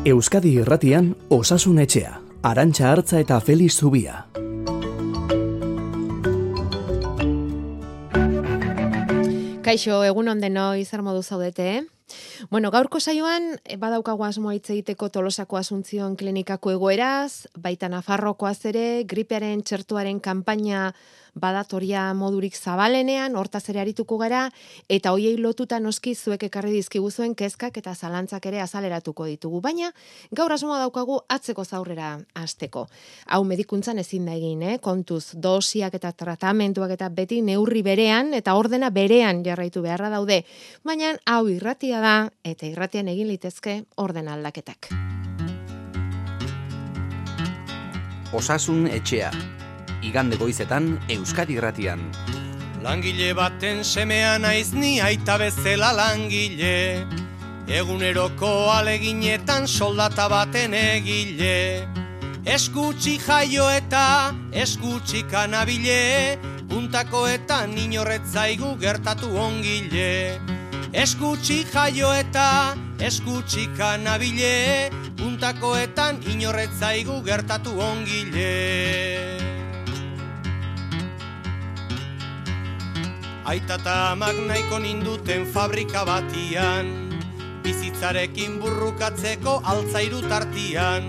Euskadi Irratian Osasun Etxea, Arantxa Artza eta Felix Zubia. Kaixo, egun ondenoi, zer modu zaudete? Bueno, gaurko saioan badaukagu asmoa hitz egiteko Tolosako Asuntzion klinikako egoeraz, baita Nafarrokoaz ere, gripearen txertuaren kanpaina badatoria modurik zabalenean, hortaz ere arituko gara, eta hoiei lotuta noski zuek ekarri dizkiguzuen kezkak eta zalantzak ere azaleratuko ditugu. Baina, gaur asmoa daukagu atzeko zaurrera hasteko. Hau medikuntzan ezin da egin, kontuz, dosiak eta tratamentuak eta beti neurri berean, eta ordena berean jarraitu beharra daude. Baina, hau irratia da, eta irratian egin litezke ordena aldaketak. Osasun Etxea. Igande goizetan Euskadi Irratian. Langile baten semea naiz ni aita bezala langile, eguneroko aleginetan soldata baten egile. Eskutsi jaio eta eskutsi kanabile, puntakoetan inorretzaigu gertatu ongile. Eskutsi jaio eta eskutsi kanabile, puntakoetan inorretzaigu gertatu ongile. Aita eta amak nahiko ninduten fabrika batian, bizitzarekin burrukatzeko altzairu tartian.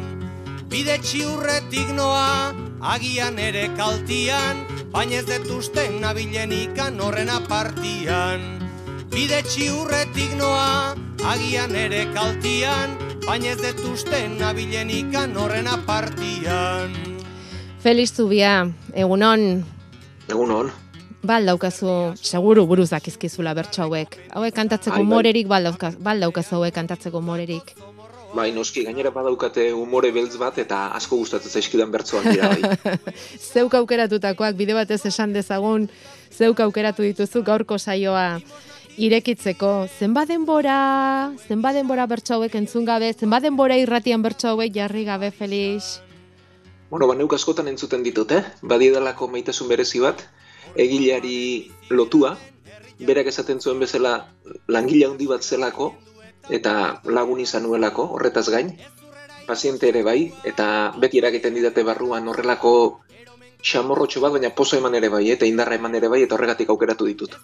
Bide txiurretik noa, agian ere kaltian, baina ez detuzten nabilenikan horren apartian. Bide txiurretik noa, agian ere kaltian, baina ez detuzten nabilenikan horren apartian. Felix Zubia, egunon. Egunon. Daukazu, seguru buruz dakizkizula bertso hauek. Hauek kantatzeko morerik, daukazu hauek kantatzeko morerik. Bai, noski, gainera badaukate umore beltz bat eta asko gustatzen zaizkidan bertsoak dira, bai. Zeuk aukeratutakoak, bide batez esan dezagun, zeuk aukeratu dituzu gaurko saioa irekitzeko. Zenbat denbora bertso hauek entzun gabe, zenbat denbora irratian bertso hauek jarri gabe, Felix? Bueno, neuk askotan entzuten ditut, badiedalako maitasun berezi bat, egileari lotua, berak esaten zuen bezala langile handi bat zelako, eta lagun izan nuelako, horretaz gain, paziente ere bai, eta beti eragiten didate barruan horrelako xamorrotxo bat, baina pozo eman ere bai, eta indarra eman ere bai, eta horregatik aukeratu ditut.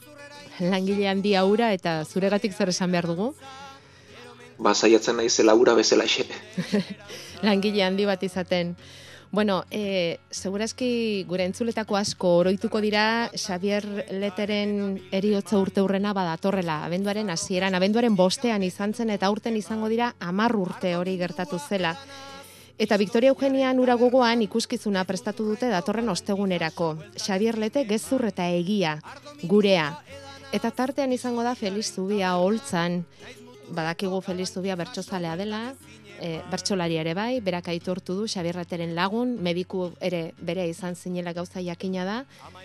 Langile handi aura, eta zuregatik zer esan behar dugu? Saiatzen naizela aura bezala xe. Langile handi bat izaten. Bueno, segurazki gure entzuletako asko oroituko dira Xabier Leteren heriotza urteurrena badatorrela. Abenduaren hasieran, abenduaren 5ean izan zen eta aurten izango dira 10 urte hori gertatu zela. Eta Victoria Eugenian ura gogoan ikuskizuna prestatu dute datorren ostegunerako. Xabier Lete gezur eta egia, gurea. Eta tartean izango da Felix Zubia holtzan. Badakigu Felix Zubia bertsozalea dela, bertsolari ere bai, berak aitortu du Xabier Leteren lagun, mediku ere bere izan zinela gauza jakina da.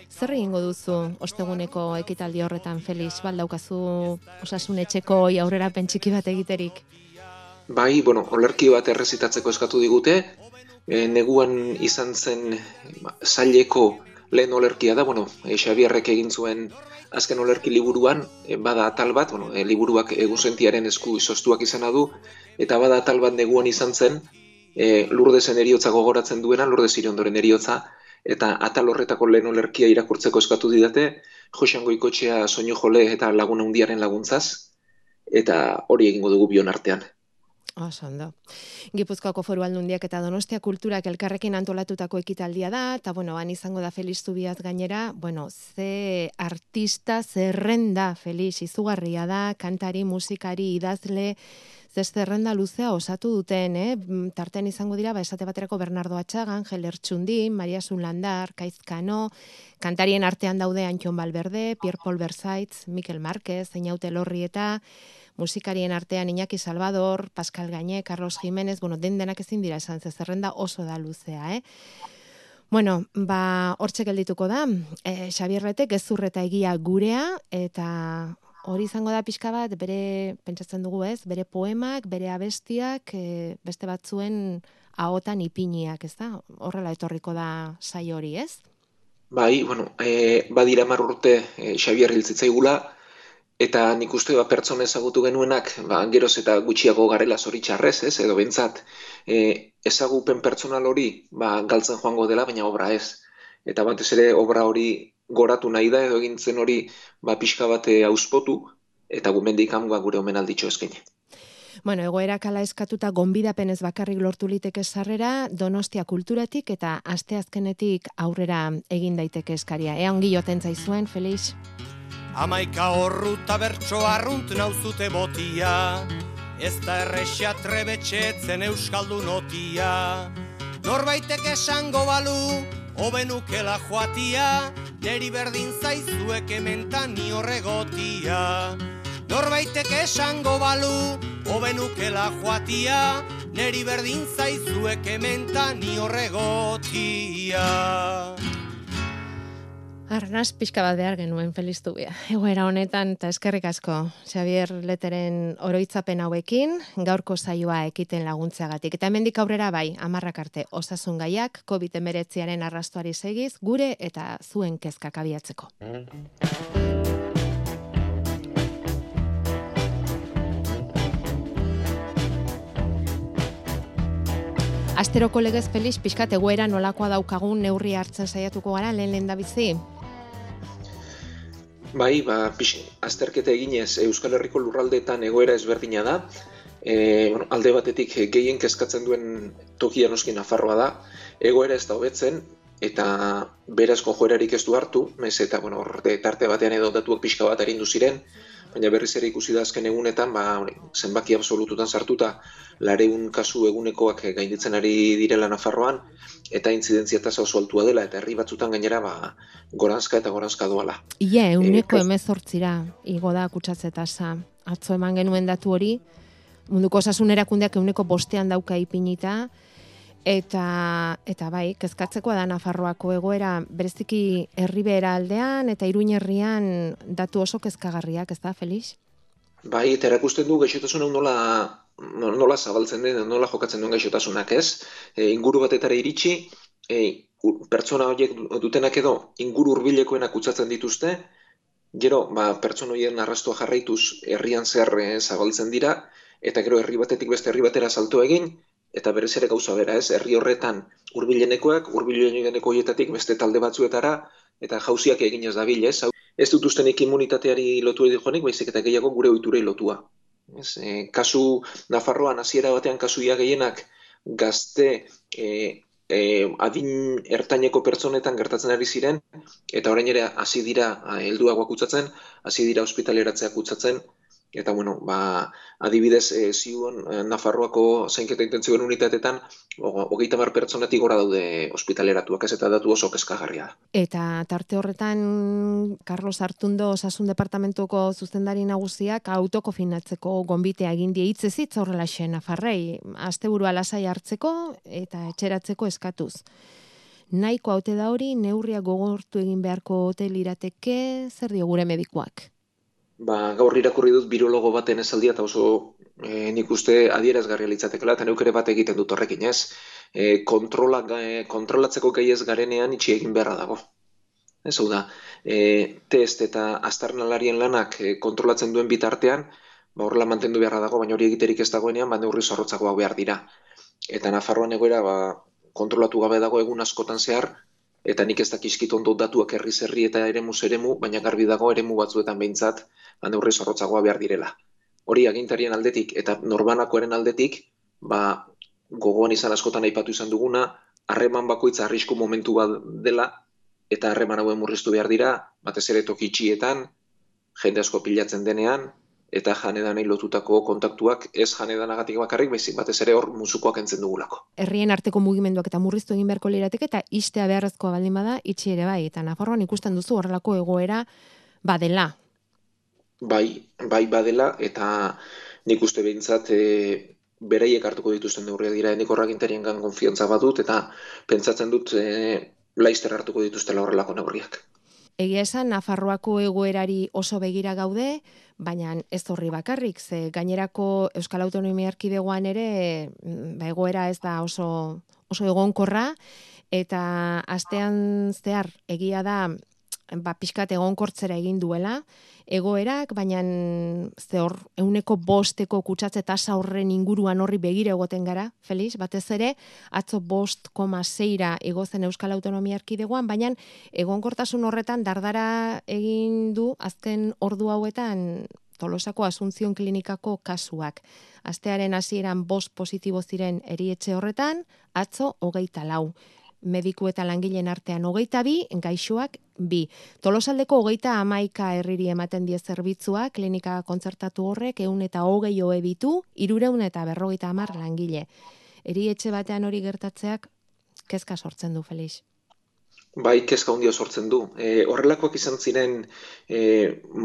Zer egingo duzu osteguneko ekitaldi horretan, Felix, daukazu Osasun Etxeko aurrerapen txiki bat egiterik? Bai, olerki bat errezitatzeko eskatu digute, neguan izan zen zaileko lehen olerkia da, Xabierrek egin zuen azken olerki liburuan, bada atal bat, liburuak egunsentiaren esku izoztuak izana du, eta bada atal bat neguan izan zen, Lurdesen heriotza gogoratzen duena, Lourdes Iriondoren heriotza, eta atal horretako lehen olerkia irakurtzeko eskatu didate, Joxan Goikotxea soinu jole eta laguna hundiaren laguntzaz, eta hori egingo dugu bion artean. Ondo. Gipuzkoako Foru Aldundiak eta Donostia Kulturak elkarrekin antolatutako ekitaldia da, eta han izango da Felix Zubiaz gainera, ze artista zerrenda, Felix, izugarria da, kantari, musikari, idazle, zerrenda luzea osatu duten, tartean izango dira, esate baterako Bernardo Atxagan, Angel Ertxundin, Maria Zulandar, Kaizkano, kantarien artean daude Antxon Balberde, Pierre Paul Versaitz, Mikel Márquez, Einaute Lorrieta, musikarien artean Iñaki Salvador, Pascal Gañé, Carlos Jiménez, denak ezin dira esan, zerrenda oso da luzea, hortxe geldituko da, Xabier Lete gezur eta egia gurea, eta hori izango da pixka bat, pentsatzen dugu bere poemak, bere abestiak, beste batzuen ahotan ipiniak, ez da? Horrela etorriko da saio hori, ez? Bai, badira 10 urte Xabier hil zitzaigula, Eta nik uste pertsona ezagutu genuenak, geroz eta gutxiago garela zoritxarrez, ez, edo bentsat, ezagupen pertsonal hori galtzen joango dela, baina obra ez. Eta batez ere obra hori goratu nahi da, edo egintzen hori pixka bat auspotu, eta gumendik gure omenalditxo eskaini. Bueno, egoerak ala eskatuta gonbidapenez bakarrik lortu liteke sarrera, Donostia kulturatik eta asteazkenetik aurrera egin daiteke eskaria. Ea ongi joten zaizuen, Felix? 11 horruta bertso arrunt nauzute botia, ez da errexia trebetxetzen euskaldun otia. Norbaitek esango balu, hobenukela joatia, neri berdin zaizuek ementan ni horregotia. Norbaitek esango balu, hobenukela joatia, neri berdin zaizuek ementan ni horregotia. Arnaz pixka bat behar genuen, Felix Zubia. Egoera honetan, eta eskerrik asko, Xabier Leteren oroitzapen hauekin, gaurko saioa ekiten laguntzeagatik. Eta hemendik aurrera bai, 10 arte osasun gaiak, COVID-19aren arrastoari segiz, gure eta zuen kezkak abiatzeko. Asteroko legez, Felix, pixkat egoera nolakoa daukagun neurri hartzen saiatuko gara, lehen da bizi? Bai, azterketa eginez Euskal Herriko lurraldeetan egoera ezberdina da. Alde batetik gehien kezkatzen duen tokia noski Nafarroa da. Egoera ez da hobetzen eta berazko joerarik ez du hartu, eta tarte batean edo datuak pixka bat arindu ziren, baina berriz ere ikusi da azken egunetan, zenbaki absolututan sartuta 400 kasu egunekoak gainditzen ari direla Nafarroan, eta intzidentzia tasa oso altua dela, eta herri batzutan gainera goranzka eta goranzka doala. Ia, 18 igo da kutsatze tasa. Atzo eman genuen datu hori, munduko osasun erakundeak 5 dauka ipinita, eta bai, kezkatzekoa da Nafarroako egoera, bereziki Erribera aldean eta Iruin herrian datu oso kezkagarriak, ez da, Felix? Bai, eta erakusten du gaixotasun hau nola zabaltzen den, nola jokatzen duen gaixotasunak, ez? Inguru batetara iritsi, pertsona horiek dutenak edo inguru hurbilekoenak kutsatzen dituzte, gero pertsona horien arrastoa jarraituz herrian zehar zabaltzen dira, eta gero herri batetik beste herri batera salto egin, eta berez ere gauza bera, ez? Herri horretan hurbilenekoak horietatik beste talde batzuetara, eta jauziak egin ez dabil, ez? Ez dut ustenik immunitateari lotu edo joanik, baizik eta gehiago gure ohiturei lotua. Kasu Nafarroan hasiera batean kasuia gehienak gazte adin ertaineko pertsonetan gertatzen ari ziren, eta orain ere hasi dira helduagoak kutsatzen, hasi dira ospitaleratzea kutsatzen, eta adibidez ziuan Nafarroako zainketa intentzioen unitatetan 30 pertsonetik gora daude ospitaleratuak, ez, eta datu oso kezkagarria da. Eta tarte horretan Carlos Artundo Osasun Departamentuko zuzendari nagusiak autokofinatzeko gonbitea egin die hitzez hitz horrelaxe Nafarrei, asteburua lasai hartzeko eta etxeratzeko eskatuz. Nahiko haute da hori, neurriak gogortu egin beharko ote lirateke, zer dio gure medikuak? Gaur irakurri dut birologo baten esaldia, eta oso nik uste adierazgarria litzatekela, eta neuk ere bat egiten dut horrekin, ez? Kontrolatzeko gai ez garenean itxi egin beharra dago. Ez hau da, test eta aztarnalarien lanak kontrolatzen duen bitartean, horrela mantendu beharra dago, baina hori egiterik ez dagoenean, neurri zorrotzagoak behar dira. Eta Nafarroan egoera kontrolatu gabe dago egun askotan zehar, eta nik ez dakizkit ondo datuak herriz herri eta eremuz eremu, baina garbi dago eremu batzuetan behintzat, neurri zorrotzagoa behar direla. Hori agintarien aldetik eta norbanakoaren aldetik, gogoan izan askotan aipatu izan duguna, harreman bakoitza arrisku momentu bat dela, eta harreman hauen murriztu behar dira, batez ere toki itxietan, jende asko pilatzen denean, eta janedanei lotutako kontaktuak ez janedanagatik bakarrik, baizik batez ere hor musukoak entzen dugulako. Herrien arteko mugimenduak eta murriztu egin beharko lirateke, eta istea beharrezkoa baldin bada, itxi ere bai, eta Nafarroan ikusten duzu horrelako egoera badela. Bai badela, eta nik uste behintzat beraiek hartuko dituzten neurriak dira, nik horragintarien konfiantza badut, eta pentsatzen dut laizter hartuko dituztela horrelako neurriak. Egia esan, Nafarroako egoerari oso begira gaude, baina ez horri bakarrik, ze gainerako Euskal Autonomia Erkidegoan ere egoera ez da oso egonkorra, eta astean zehar egia da pixkat egonkortzera egin duela, egoerak, baina ze hor 5% kutsatze tasa horren inguruan horri begire egoten gara, Felix, batez ere, atzo 5,6ra igo zen Euskal Autonomia Erkidegoan, baina egonkortasun horretan dardara egin du azken ordu hauetan Tolosako Asunción Klinikako kasuak. Astearen hasieran 5 positibo ziren erietxe horretan, atzo 24. Mediku eta langileen artean 22, gaixoak 2. Tolosaldeko 31 herriri ematen die zerbitzua, klinika kontzertatu horrek 120 ohe ditu, 350 langile. Erietxe batean hori gertatzeak kezka sortzen du, Felix. Bai, kezka handia sortzen du. Horrelakoak izan ziren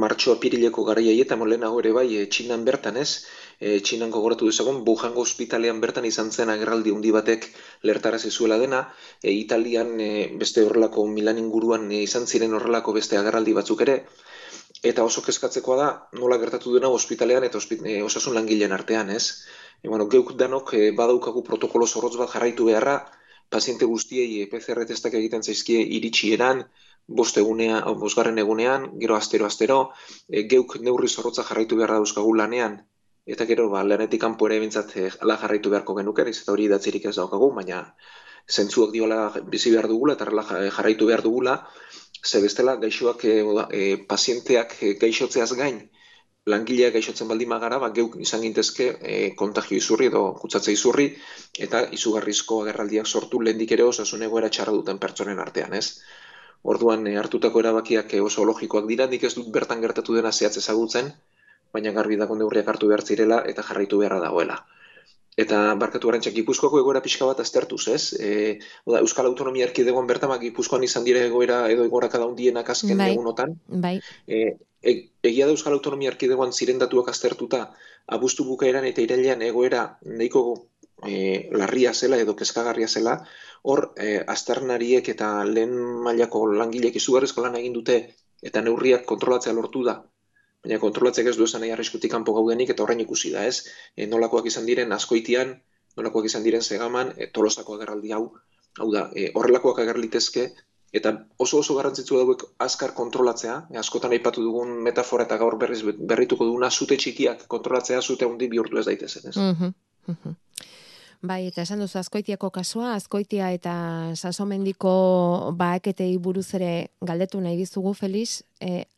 martxo-apirileko garaiei eta lehenago ere bai, Txinan bertan ez, Txinan gogoratu dezagun, Wuhango ospitalean bertan izan zen agerraldi handi batek lertarazi zuela dena, Italian beste horrelako Milan inguruan izan ziren horrelako beste agerraldi batzuk ere, eta oso kezkatzekoa da nola gertatu dena ospitalean eta osasun langileen artean, ez? Geuk danok badaukagu protokolo zorrotz bat jarraitu beharra, paziente guztiei PCR testak egiten zaizkie iritsieran, 5. egunean, gero astero, geuk neurri zorrotza jarraitu beharra dauzkagu lanean, eta gero lanetik kanpo ere bintzat ala jarraitu beharko genuke, eta hori idatzirik ez daukagu, baina zentzuak diola bizi behar dugula, eta jarraitu behar dugula, ze bestela gaixoak, pazienteak gaixotzeaz gain, langileak gaixotzen baldin magara, geuk izan gintezke kontagio izurri edo kutsatze izurri, eta izugarrizko agerraldiak sortu lehendik ere osasun egoera txarra duten pertsonen artean, ez? Orduan hartutako erabakiak oso logikoak dira, nik ez dut bertan gertatu dena zehatz ezagutzen, baina garbi dago neurriak hartu behar zirela eta jarraitu beharra dagoela. Eta barkatu Arantxa, Gipuzkoako egoera pixka bat aztertuz, ez? Euskal Autonomia Erkidegoan bertan Gipuzkoan izan dire egoera edo egorakada handienak azken egunotan. Bai. Egia da Euskal Autonomia Erkidegoan ziren datuak aztertuta, abuztu bukaeran eta irailean egoera nahiko larria zela edo kezkagarria zela, hor aztarnariek eta lehen mailako langileek izugarrizko lan egin dute eta neurriak kontrolatzea lortu da. Baina kontrolatzek ez du esan nahi arriskutik kanpo gaudenik eta horrein ikusi da, ez? Nolakoak izan diren Azkoitian, nolakoak izan diren Segaman, Tolosako agerraldi hau da, horrelakoak agerlitezke, eta oso garrantzitsua dauek azkar kontrolatzea, askotan aipatu dugun metafora eta gaur berrituko duguna, zute txikiak kontrolatzea, zute handi bihurtu ez daitezen, ez? Bai, eta esan duzu Azkoitiako kasua, Azkoitia eta Sasomendiko baaketei buruz ere galdetu nahi dizugu, Felix,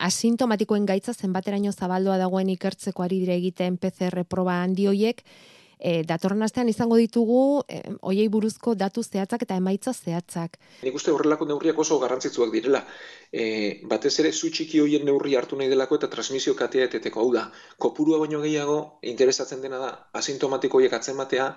asintomatikoen gaitza zenbateraino zabaldua dagoen ikertzeko ari dire egiten PCR proba handi hoiek, datorren astean izango ditugu hoiei buruzko datu zehatzak eta emaitza zehatzak. Nik uste horrelako neurriak oso garrantzitsuak direla. Batez ere zu txiki hoien neurri hartu nahi delako eta transmisio katea eteteko. Hau da, kopurua baino gehiago interesatzen dena da asintomatiko hoiek atzematea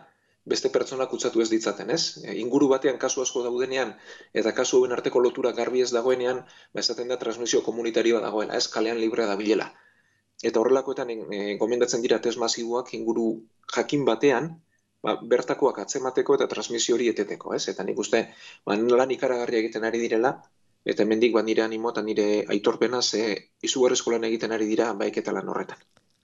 beste pertsona kutsatu ez ditzaten, ez? Inguru batean kasu asko daudenean eta kasu hauen arteko lotura garbi ez dagoenean, esaten da transmisio komunitarioa dagoela, ez kalean librea dabilela. Eta horrelakoetan gomendatzen dira test masiboak inguru jakin batean, bertakoak atzemateko eta transmisio hori eteteko, ez? Eta nik uste, lan ikaragarria egiten ari direla, eta hemendik nire animo eta nire aitorpena izugarrizko lan egiten ari dira baiketa lan horretan.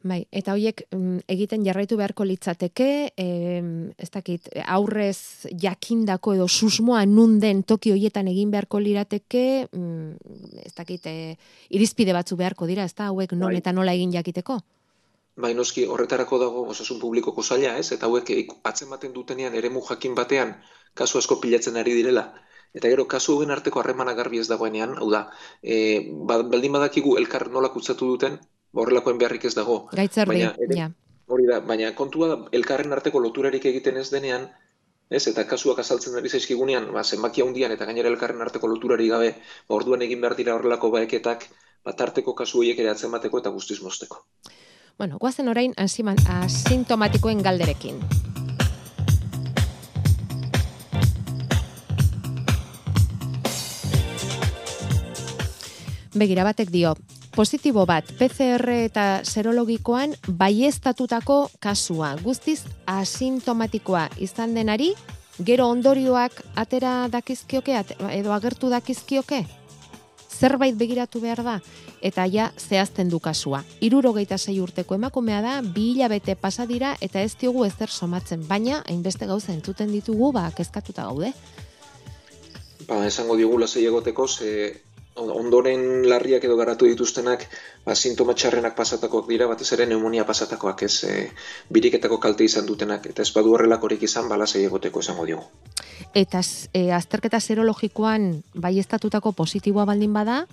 Bai, eta horiek egiten jarraitu beharko litzateke, ez dakit, aurrez jakindako edo susmoa nunden toki horietan egin beharko lirateke, ez dakit, irizpide batzu beharko dira, ez da, hauek non eta nola egin jakiteko? Bai, noski, horretarako dago osasun publikoko saila, ez? Eta hauek atzematen dutenean eremu jakin batean kasu asko pilatzen ari direla. Eta gero, kasu hauen arteko harremana garbi ez dagoenean, hau da, baldin badakigu elkar nola kutsatu duten, horrelakoen beharrik ez dago. Gaitzerdi, ja. Hori da, baina kontua da, elkarren arteko loturarik egiten ez denean, ez, eta kasuak azaltzen ari zaizkigunean, zenbaki handian eta gainera elkarren arteko loturari gabe, orduan egin behar dira horrelako baeketak, tarteko kasu horiek ere atzemateko eta guztiz mozteko. Bueno, guazen orain asintomatikoen galderekin. Begira batek dio, positibo bat, PCR eta serologikoan baieztatutako kasua, guztiz asintomatikoa izan denari, gero ondorioak atera dakizkioke, edo agertu dakizkioke? Zerbait begiratu behar da, eta ja zehazten du kasua. 76 urteko emakumea da, 2 hilabete pasa dira, eta ez diogu ezer somatzen, baina hainbeste gauza entzuten ditugu, kezkatuta gaude. Esango diogu lasai egoteko, ondoren larriak edo garatu dituztenak sintoma txarrenak pasatakoak dira, batez ere pneumonia pasatakoak, ez biriketako kalte izan dutenak, eta ez badu horrelakorik izan, lasai egoteko esango diogu. Eta azterketa serologikoan baieztatutako positiboa baldin bada,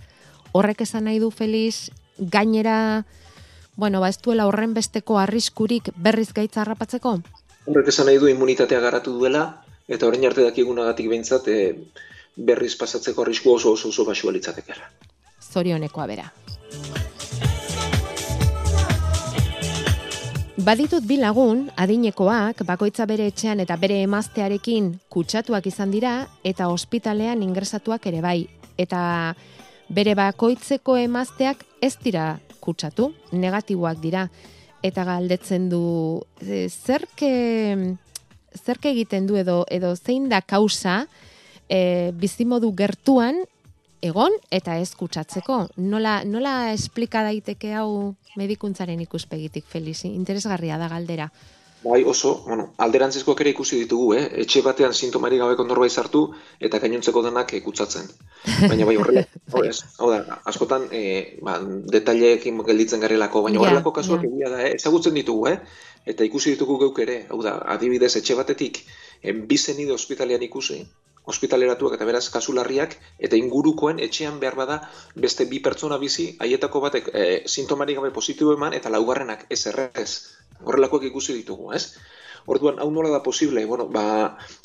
horrek esan nahi du, Feliz, gainera, ez duela horren besteko arriskurik berriz gaitza harrapatzeko? Horrek esan nahi du immunitatea garatu duela, eta orain arte dakigunagatik behintzat berriz pasatzeko arrisku oso baxua litzatekeela. Zorionekoa bera. Baditut bi lagun, adinekoak, bakoitza bere etxean eta bere emaztearekin kutsatuak izan dira, eta ospitalean ingresatuak ere bai. Eta bere bakoitzeko emazteak ez dira kutsatu, negatiboak dira. Eta galdetzen du, zerke egiten du edo zein da kausa bizimodu gertuan egon eta ez kutsatzeko. Nola esplika daiteke hau medikuntzaren ikuspegitik, Feliz? Interesgarria da galdera. Bai, oso, alderantzizkoak ere ikusi ditugu, etxe batean sintomarik gabeko norbait sartu eta gainontzeko denak kutsatzen. Baina bai horrela, hau da, askotan detaileekin gelditzen garelako, baina horrelako kasuak egia da, ezagutzen ditugu, eta ikusi ditugu geuk ere, hau da, adibidez etxe batetik, bi zenide ospitalean ikusi, ospitaleratuak eta beraz kasu larriak, eta ingurukoen etxean behar bada beste bi pertsona bizi, haietako batek sintomarik gabe positibo eman, eta laugarrenak ez errez. Horrelakoak ikusi ditugu, ez? Orduan, hau nola da posible?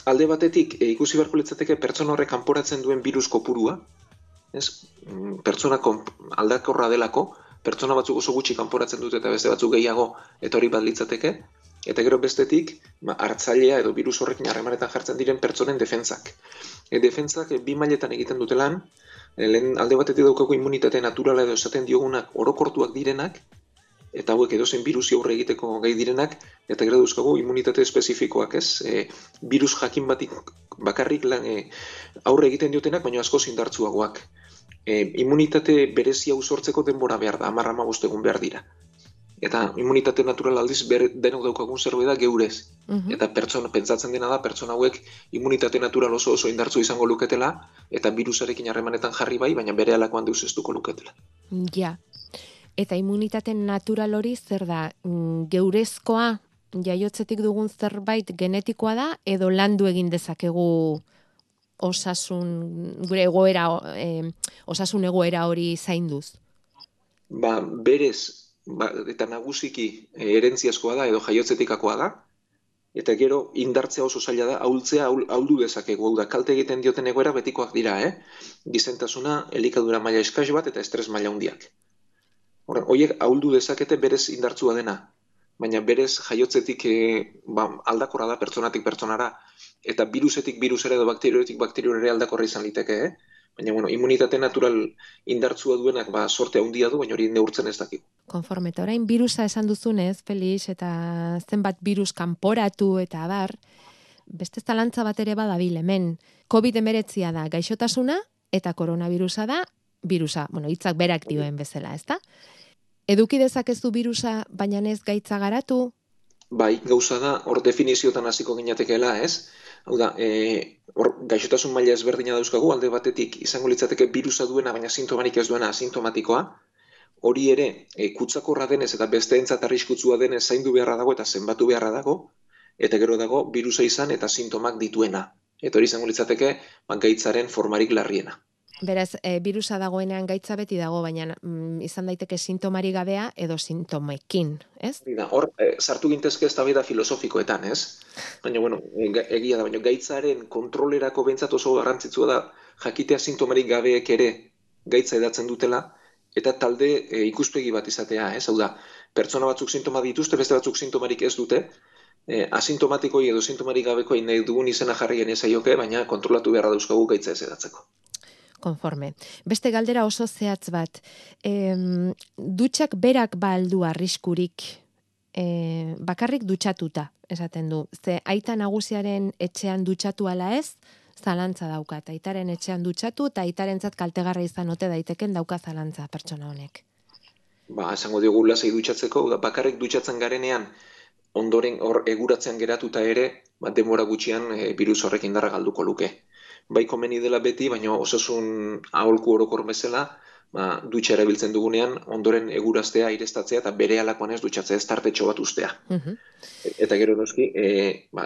Alde batetik ikusi beharko litzateke pertsona horrek kanporatzen duen virus kopurua, ez? Pertsona aldakorra delako, pertsona batzuk oso gutxi kanporatzen dute eta beste batzuk gehiago, eta hori bat litzateke, eta gero bestetik, hartzailea edo virus horrekin harremanetan jartzen diren pertsonen defentsak. Defentsak bi mailetan egiten dute lan, alde batetik daukagu immunitate naturala edo esaten diogunak orokortuak direnak, eta hauek edozein birusi aurre egiteko gai direnak, eta gero dauzkagu immunitate espezifikoak, ez? Virus jakin batik bakarrik aurre egiten diotenak, baina asko indartsuagoak. Immunitate berezia sortzeko denbora behar da, 10-15 egun behar dira. Eta immunitate natural aldiz denok daukagun zerbait da geurez. Eta pentsatzen dena da, pertsona hauek immunitate natural oso indartsu izango luketela, eta virusarekin harremanetan jarri bai, baina bere alakoan deus ez duko luketela. Ja. Eta immunitate natural hori zer da, geurezkoa, jaiotzetik dugun zerbait genetikoa da, edo landu egin dezakegu osasun egoera hori zainduz? Berez, eta nagusiki herentziazkoa da, edo jaiotzetikakoa da, eta gero indartzea oso zaila da, ahuldu dezakegu, hau da, kalte egiten dioten egoera betikoak dira, gizentasuna, elikadura maila eskas bat eta estres maila handiak. Horiek ahuldu dezakete berez indartzua dena, baina berez jaiotzetik aldakorra da pertsonatik pertsonara, eta virusetik virusera edo bakterioetik bakteriorera aldakorra izan liteke, baina immunitate natural indartzua duenak sorte handia du, baina hori neurtzen ez dakigu. Konforme, eta orain virusa esan duzunez, Felix, eta zenbat virus kanporatu eta abar, beste zalantza bat ere badabil hemen. COVID-19 da gaixotasuna eta koronavirusa da virusa, hitzak berak dioen bezala, ezta? Eduki dezakezu virusa, baina ez gaitza garatu? Bai, gauza da, hor definiziotan hasiko ginatekeela, ez? Hau da, gaixotasun maila ezberdina dauzkagu, alde batetik izango litzateke virusa duena, baina sintomarik ez duena asintomatikoa. Hori ere, kutsakorra denez eta besteentzat arriskutsua denez zaindu beharra dago eta zenbatu beharra dago, eta gero dago virusa izan eta sintomak dituena. Eta hori izango litzateke gaitzaren formarik larriena. Beraz, virusa dagoenean gaitza beti dago, baina izan daiteke sintomari gabea edo sintomekin, ez? Hor, sartu gintezke eztabaida filosofikoetan, ez? Baina, egia da, baina gaitzaren kontrolerako behintzat oso garrantzitsua da jakitea sintomarik gabeek ere gaitza edatzen dutela, eta talde ikuspegi bat izatea, ez? Hau da, pertsona batzuk sintoma dituzte, beste batzuk sintomarik ez dute, asintomatikoi edo sintomarik gabekoi nahi dugun izena jarri genezaioke, baina kontrolatu beharra dauzkagu gaitza ez edatzeko. Konforme. Beste galdera oso zehatz bat. Dutxak berak aldu arriskurik bakarrik dutxatuta, esaten du. Ze aita nagusiaren etxean dutxatu ala ez, zalantza daukat. Aitaren etxean dutxatu eta aitarentzat kaltegarra izan ote daiteken dauka zalantza pertsona honek. Esango diogu lasai dutxatzeko, bakarrik dutxatzen garenean, ondoren hor eguratzean geratuta ere, denbora gutxian virus horrek indarra galduko luke. bai komeni dela beti, baina osasun aholku orokor bezala, dutxa erabiltzen dugunean, ondoren eguraztea, aireztatzea, eta bere alakoan ez dutxatzea, ez tartetxo bat ustea. Eta gero noski,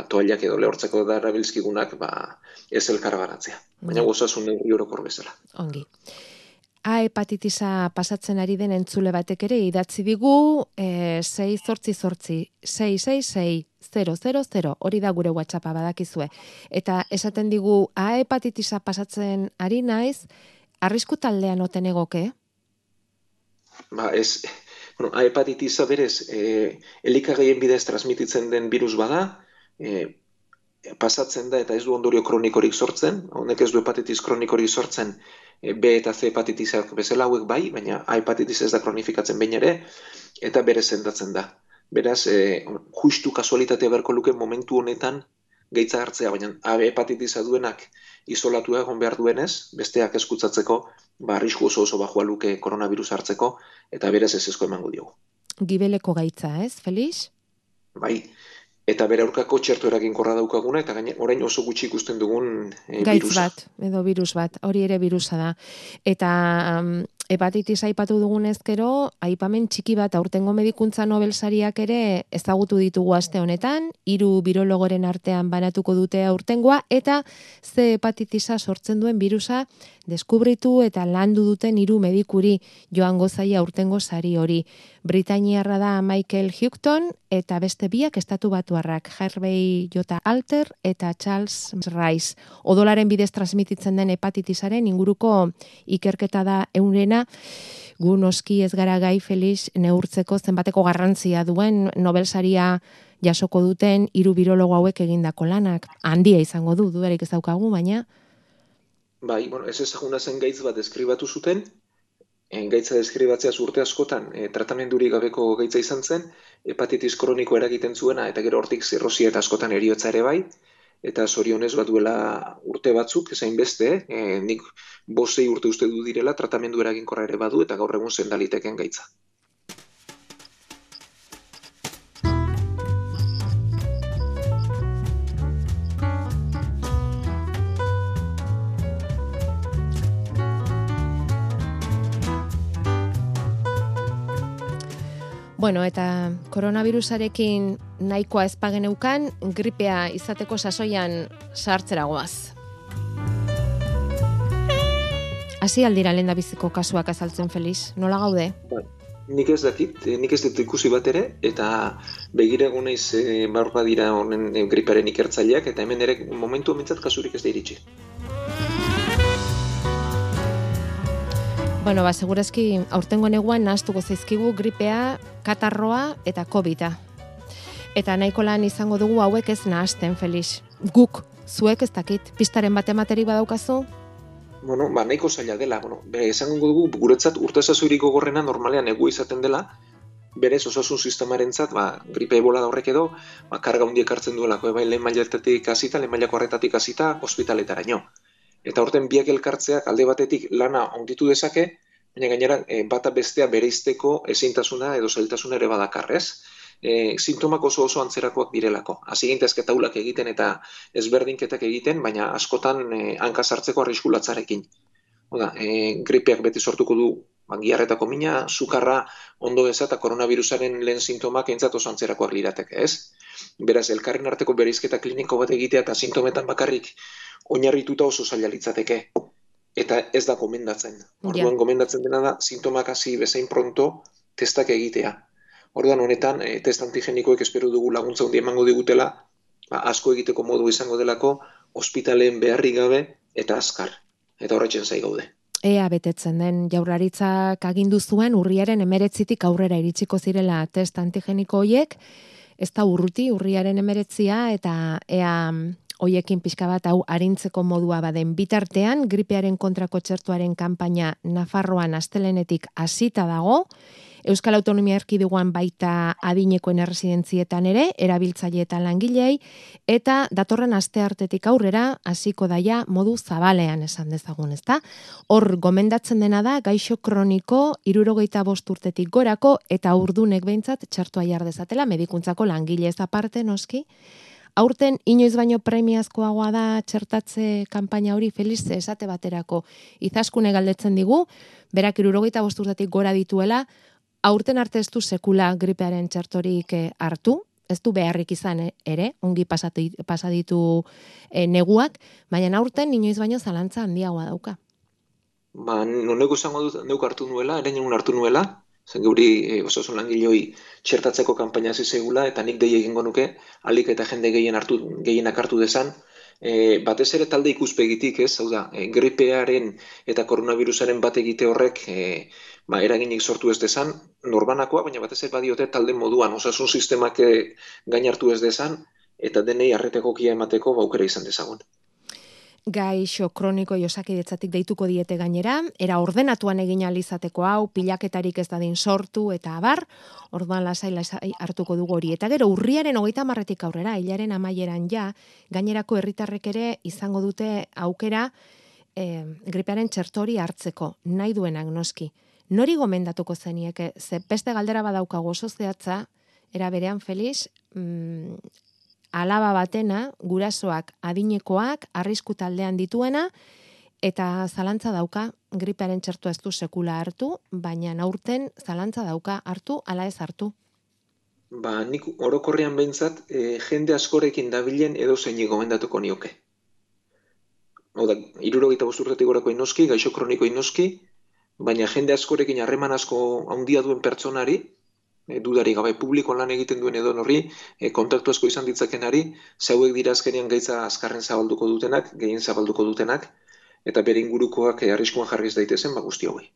toallak edo lehortzeko da erabiltzkigunak, ez elkarbanatzea. Baina osasun neurri orokor bezala. Ongi. A hepatitisa pasatzen ari den entzule batek ere idatzi digu 688-666-000, hori da gure WhatsAppa badakizue. Eta esaten digu A hepatitisa pasatzen ari naiz, arrisku taldean oten egoke? Ez, A hepatitisa berez, elikagaien bidez transmititzen den virus bada, pasatzen da eta ez du ondorio kronikorik sortzen, honek ez du hepatitis kronikorik sortzen, B eta C hepatitisak bezala hauek bai, baina A hepatitis ez da kronifikatzen behin ere, eta bere sendatzen da. Beraz, justu kasualitatea beharko luke momentu honetan gaitza hartzea, baina A hepatitisa duenak isolatua egon behar duenez, besteak eskutzatzeko, arrisku oso bajua luke koronavirus hartzeko, eta beraz ez ezko emango diogu. Gibeleko gaitza, ez, Felix? Bai. Eta bere aurkako txerto eraginkorra daukaguna, eta orain oso gutxi ikusten dugun gaitz bat, edo virus bat, hori ere virusa da. Eta hepatitis aipatu dugunez gero, aipamen txiki bat aurtengo medikuntza Nobel sariak ere ezagutu ditugu aste honetan, 3 birologoren artean banatuko dute aurtengoa, eta ze hepatitisa sortzen duen virusa deskubritu eta landu duten 3 medikuri joango zaia aurtengo sari hori. Britainiarra da Michael Houghton eta beste biak estatu batuarrak, Harvey J. Alter eta Charles Rice. Odolaren bidez transmititzen den hepatitisaren inguruko ikerketa da eurena. Gu noski ez gara gai, Felix, neurtzeko zenbateko garrantzia duen Nobel saria jasoko duten 3 birologo hauek egindako lanak. Handia izango du, dudarik ez daukagu, baina... Bai, ez ezaguna zen gaitz bat deskribatu zuten, gaitza deskribatzea urte askotan tratamendurik gabeko gaitza izan zen, hepatitis kroniko eragiten zuena, eta gero hortik zirrosia eta askotan heriotza ere bai, eta zorionez duela urte batzuk, ezain beste, nik 5-6 urte uste du direla, tratamendu eraginkorra ere badu, eta gaur egun sendaliteken gaitza. Bueno, eta koronavirusarekin nahikoa ezpageneukan, gripea izateko sasoian sartzeragoaz. Hasi aldira lehendabiziko kasuak azaltzen, Felix, nola gaude? Nik ez dakit, nik ez dut ikusi bat ere, eta begirego naiz baur badira honen griparen ikertzaileak, eta hemen ere momentu mintzat kasurik ez da iritsi. Bueno, segurazki aurtengo neguan nahaztuko zaizkigu gripea, katarroa eta COVID-a. Eta nahiko lan izango dugu hauek ez nahazten, Felix. Guk, zuek ez dakit, pistaren bat ematerik badaukazu? Bueno, nahiko zaila dela. Esango dugu, guretzat urtesazoirik gogorrena normalean egu izaten dela, berez osasun sistemarentzat, gripe ebola da horrek edo, karga hundiek hartzen duelako, lehen mailatatik hasita, lehen mailako horretatik hasita, ospitaletaraino. Eta horten biak elkartzeak alde batetik lana onditu dezake, baina gainera bata bestea bereizteko ezintasuna edo zailtasuna ere badakarrez. Sintomak oso antzerakoak direlako. Hasi gintezke taulak egiten eta ezberdinketak egiten, baina askotan hanka sartzeko arrisku latzarekin. Gripeak beti sortuko du giarretako mina, sukarra ondo eza eta koronavirusaren lehen sintomak eintzat oso antzerakoak lirateke, ez? Beraz, elkarren arteko bereizketa kliniko bat egitea eta sintometan bakarrik oinarrituta oso zaila litzateke. Eta ez da gomendatzen. Orduan gomendatzen dena da, sintomak hasi bezain pronto testak egitea. Orduan honetan, test antigenikoek espero dugu laguntza hundi emango digutela, asko egiteko modu izango delako, ospitaleen beharrik gabe eta azkar. Eta horretzen zai gaude. Ea betetzen den, Jaurlaritzak agindu zuen urriaren 19 aurrera iritsiko zirela test antigeniko hoiek, ez da urruti urriaren 19 eta ea hoiekin pixka bat hau arintzeko modua baden bitartean, gripearen kontrako txertuaren kanpaina Nafarroan astelenetik hasita dago, Euskal Autonomia Erkidegoan baita adinekoen erresidentzietan ere, erabiltzaile eta langilei, eta datorren asteartetik aurrera hasiko daia modu zabalean esan dezagun, ezta? Hor gomendatzen dena da gaixo kroniko 65 urtetik gorako eta urdunek behintzat txertua jar dezatela medikuntzako langilez aparte noski, Aurten inoiz baino premiazkoagoa da txertatze kanpaina hori, Felix, esate baterako Izaskune galdetzen digu, berak 75 urtetik gora dituela, aurten arte ez du sekula gripearen txertorik hartu, ez du beharrik izan ere, ongi pasaditu neguak, baina aurten inoiz baino zalantza handiagoa dauka. Noneko izango dut neuk hartu nuela, ere nien hartu nuela, zen geuri osasun langiloi txertatzeko kanpaina hasi zegula, eta nik dei egingo nuke, alik eta jende gehienak hartu dezan, batez ere talde ikuspegitik, ez, hau da, gripearen eta koronavirusaren bat egite horrek eraginik sortu ez dezan, norbanakoa, baina batez ere badiote talde moduan, osasun sistemak gain hartu ez dezan, eta denei arretegokia emateko aukera izan dezagun. Gaixo kroniko Osakidetzatik deituko diete gainera, era ordenatuan egin ahal izateko hau, pilaketarik ez dadin sortu eta abar, orduan lasai hartuko dugu hori. Eta gero urriaren 30etik aurrera, hilaren amaieran ja, gainerako herritarrek ere izango dute aukera gripearen txertori hartzeko, nahi duenak noski. Nori gomendatuko zenieke, ze beste galdera badaukago oso zehatza, era berean Felix, alaba batena, gurasoak, adinekoak, arrisku taldean dituena, eta zalantza dauka, gripearen txertua ez du sekula hartu, baina aurten zalantza dauka hartu, ala ez hartu. Nik orokorrean behintzat, jende askorekin dabilen edo zeini gomendatuko nioke. Hau da, 75 urtetik gorako inoski, gaixo kroniko inoski, baina jende askorekin harreman asko handia duen pertsonari, dudari gabe publikoan lan egiten duen edo horri, kontaktu asko izan ditzakenari, zauek dira azkenean gaitza azkarren zabalduko dutenak, gehien zabalduko dutenak, eta bere ingurukoak arriskuan jarriz daitezen, guzti hauei.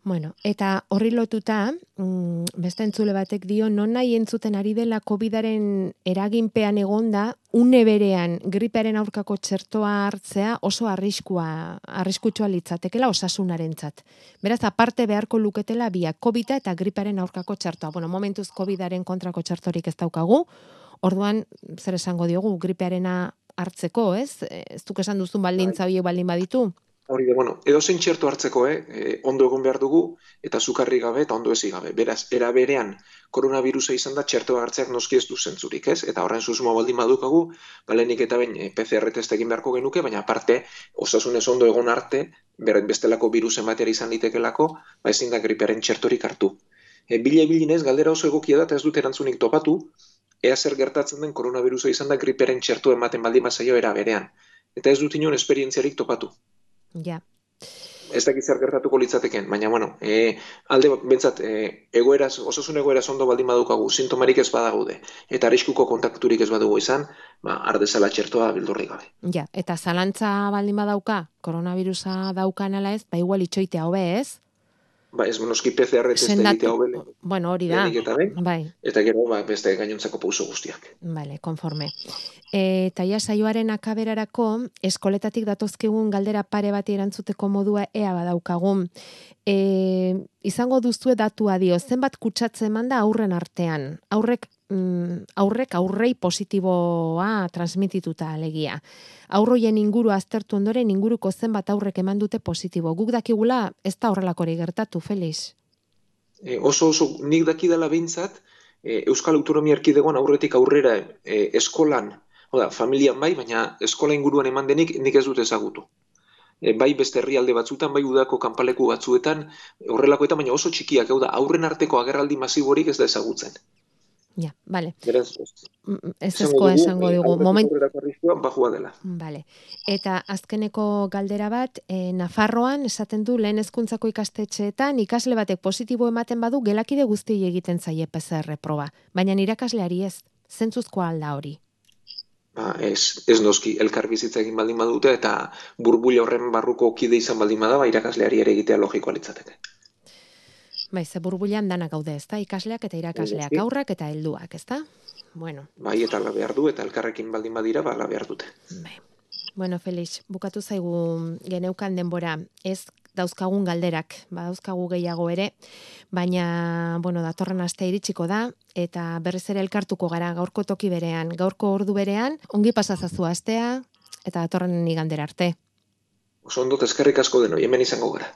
Bueno, eta horri lotuta, beste entzule batek dio, non nahi entzuten ari dela COVID-aren eraginpean egonda, une berean gripearen aurkako txertoa hartzea oso arriskutsua litzatekela osasunarentzat. Beraz, aparte beharko luketela biak COVID-a eta gripearen aurkako txertoa. Bueno, momentuz COVID-aren kontrako txertorik ez daukagu, orduan, zer esango diogu, gripearena hartzeko, ez? Ez duk esan duzun baldintza horiek baldin baditu? Hori da, edozein txerto hartzeko, ondo egon behar dugu, eta zukarri gabe eta ondo ezi gabe. Beraz, era berean, koronavirusa izan da txertoa hartzeak noski ez du zentzurik, ez? Eta horren susmoa baldin badukagu, lehenik eta behin PCR test egin beharko genuke, baina aparte, osasunez ondo egon arte, bestelako virusen batera izan litekelako, ezin da gripearen txertorik hartu. Bilinez, galdera oso egokia da, eta ez dut erantzunik topatu, ea zer gertatzen den koronavirusa izan da gripearen txerto ematen baldin bazaio era berean. Eta ez dut inon esperientziarik topatu. Ja. Ez dakit zer gertatuko litzateken, baina alde bentsat, osasun egoeraz ondo baldin badukagu, sintomarik ez badaude, eta arriskuko kontakturik ez badugu izan, ardezala txertoa bildurrik gabe. Ja, eta zalantza baldin badauka, koronavirusa daukan ala ez, igual itxoitea hobe ez? Ez noski PCR test egitea hobe. Bueno, hori da. Eta gero beste gainontzako pauso guztiak. Vale, konforme. Eta ja saioaren akaberarako, eskoletatik datozkigun galdera pare bati erantzuteko modua ea badaukagun. Izango duzue datua dio, zenbat kutsatze eman da aurren artean. Aurrei positiboa transmitituta alegia. Aurroien inguru aztertu ondoren inguruko zenbat aurrek eman dute positibo. Guk dakigula ez da horrelakori gertatu, Felix? Oso nik dakidala behintzat, Euskal Autonomia Erkidegoan aurretik aurrera eskolan, familian bai, baina eskola inguruan eman denik nik ez dut ezagutu. Bai beste herrialde batzuetan, bai udako kanpaleku batzuetan, horrelakoetan, baina oso txikiak, aurren arteko agerraldi masiborik ez da ezagutzen. Ja, bale. Beraz, ezkoa esango dugu. Bajua dela. Bale. Eta azkeneko galdera bat, Nafarroan esaten du lehen hezkuntzako ikastetxeetan ikasle batek positibo ematen badu gelakide guztiei egiten zaie PCR proba, baina irakasleari ez. Zentzuzkoa alda hori? Ez noski, elkar bizitza egin baldin badute eta burbuila horren barruko kide izan baldin bada, irakasleari ere egitea logikoa litzateke. Ze burbuilan danak gaude, ezta? Ikasleak eta irakasleak, aurrak eta helduak, ezta? Bueno. Bai, eta ala behar du, eta elkarrekin baldin badira, ala behar dute. Bai. Bueno, Felix, bukatu zaigu geneukan denbora, ez dauzkagun galderak, dauzkagu gehiago ere, baina, datorren aste iritsiko da, eta berriz ere elkartuko gara gaurko toki berean, gaurko ordu berean, ongi pasazazu astea, eta datorren igandera arte. Oso ondo eskerrik asko denoi, hemen izango gara.